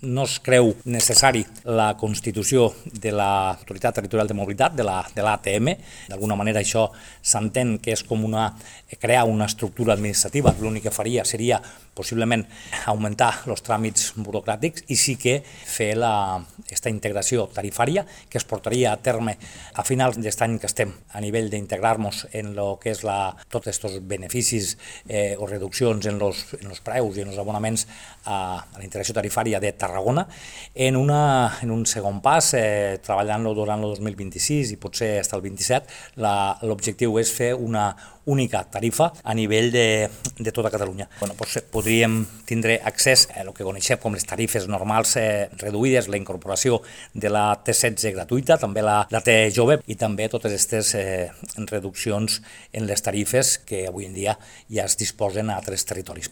no es creu necessari la constitució de l'Autoritat Territorial de Mobilitat, de l'ATM. D'alguna manera això s'entén que és com crear una estructura administrativa. L'únic que faria seria possiblement augmentar els tràmits burocràtics i sí que fer aquesta integració tarifària que es portaria a terme a finals d'aquest any que estem a nivell d'integrar-nos en el que és tots aquests beneficis o reduccions en els preus i en els abonaments a la integració tarifària de Tarragona. En un segon pas, treballant-lo durant el 2026 i potser fins al 27, l'objectiu és fer una única tarifa a nivell de tota Catalunya. Podríem tindre accés a el que coneixem com les tarifes normals reduïdes, la incorporació de la T16 gratuïta, també la T jove i també totes aquestes reduccions en les tarifes que avui en dia ja es disposen a altres territoris.